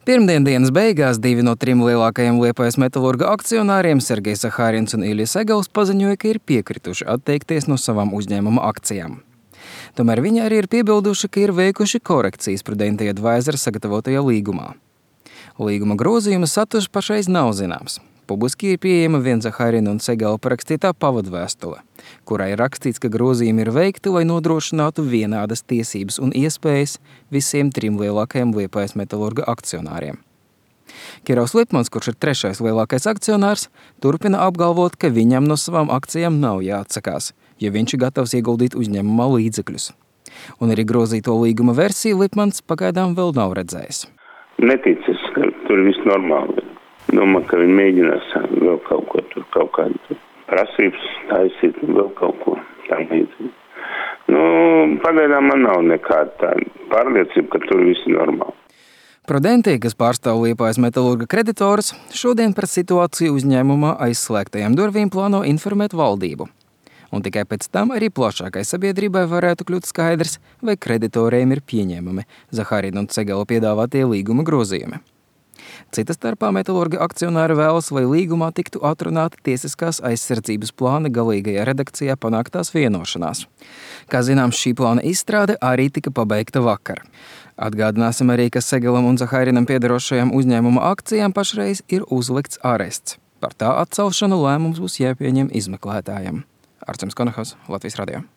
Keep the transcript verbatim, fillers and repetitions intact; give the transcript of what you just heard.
Pirmdien dienas beigās divi no trim lielākajiem Liepājas metalurga akcionāriem Sergejs Zahārins un Iļja Segals paziņoja, ka ir piekrituši atteikties no savām uzņēmuma akcijām. Tomēr viņi arī ir piebilduši, ka ir veikuši korekcijas Prudential Advisors sagatavotajā līgumā. Līguma grozījuma saturs pašreiz nav zināms. Publiski ir pieejama viena Zahārina un Segala parakstītā pavadvēstule, kurā ir rakstīts, ka grozījumi ir veikti, lai nodrošinātu vienādas tiesības un iespējas visiem trim lielākajiem Liepājas metalurga akcionāriem. Kirovs Lipmans, kurš ir trešais lielākais akcionārs, turpina apgalvot, ka viņam no savām akcijām nav jāatsakās, jo viņš ir gatavs ieguldīt uzņēmumā līdzekļus. Un arī grozīto līguma versiju Lipmans pagaidām vēl nav redzējis. Neticis, ka tur viss normāli. Domāju, ka viņi mēģinās vēl kaut ko tur, kaut kādu prasības taisīt, vēl kaut ko tam līdzīgi. Nu, pagaidām man nav nekāda tāda pārliecība, ka tur viss ir normāli. Prudential, kas pārstāv Liepājas metalurga kreditorus, šodien par situāciju uzņēmumā aizslēgtajām durvīm plāno informēt valdību. Un tikai pēc tam arī plašākai sabiedrībai varētu kļūt skaidrs, vai kreditoriem ir pieņēmami Zahārina un Segala piedāvātie līguma grozījumi. Cita starpā metalurga akcionāri vēlas, lai līgumā tiktu atrunāta tiesiskās aizsardzības plāna galīgajā redakcijā panāktās vienošanās. Kā zināms, šī plāna izstrāde arī tika pabeigta vakar. Atgādināsim arī, ka Segalam un Zahārinam piederošajām uzņēmuma akcijām pašreiz ir uzlikts arests. Par tā atcelšanu lēmums būs jāpieņem izmeklētājiem. Arcims Konahos, Latvijas radio.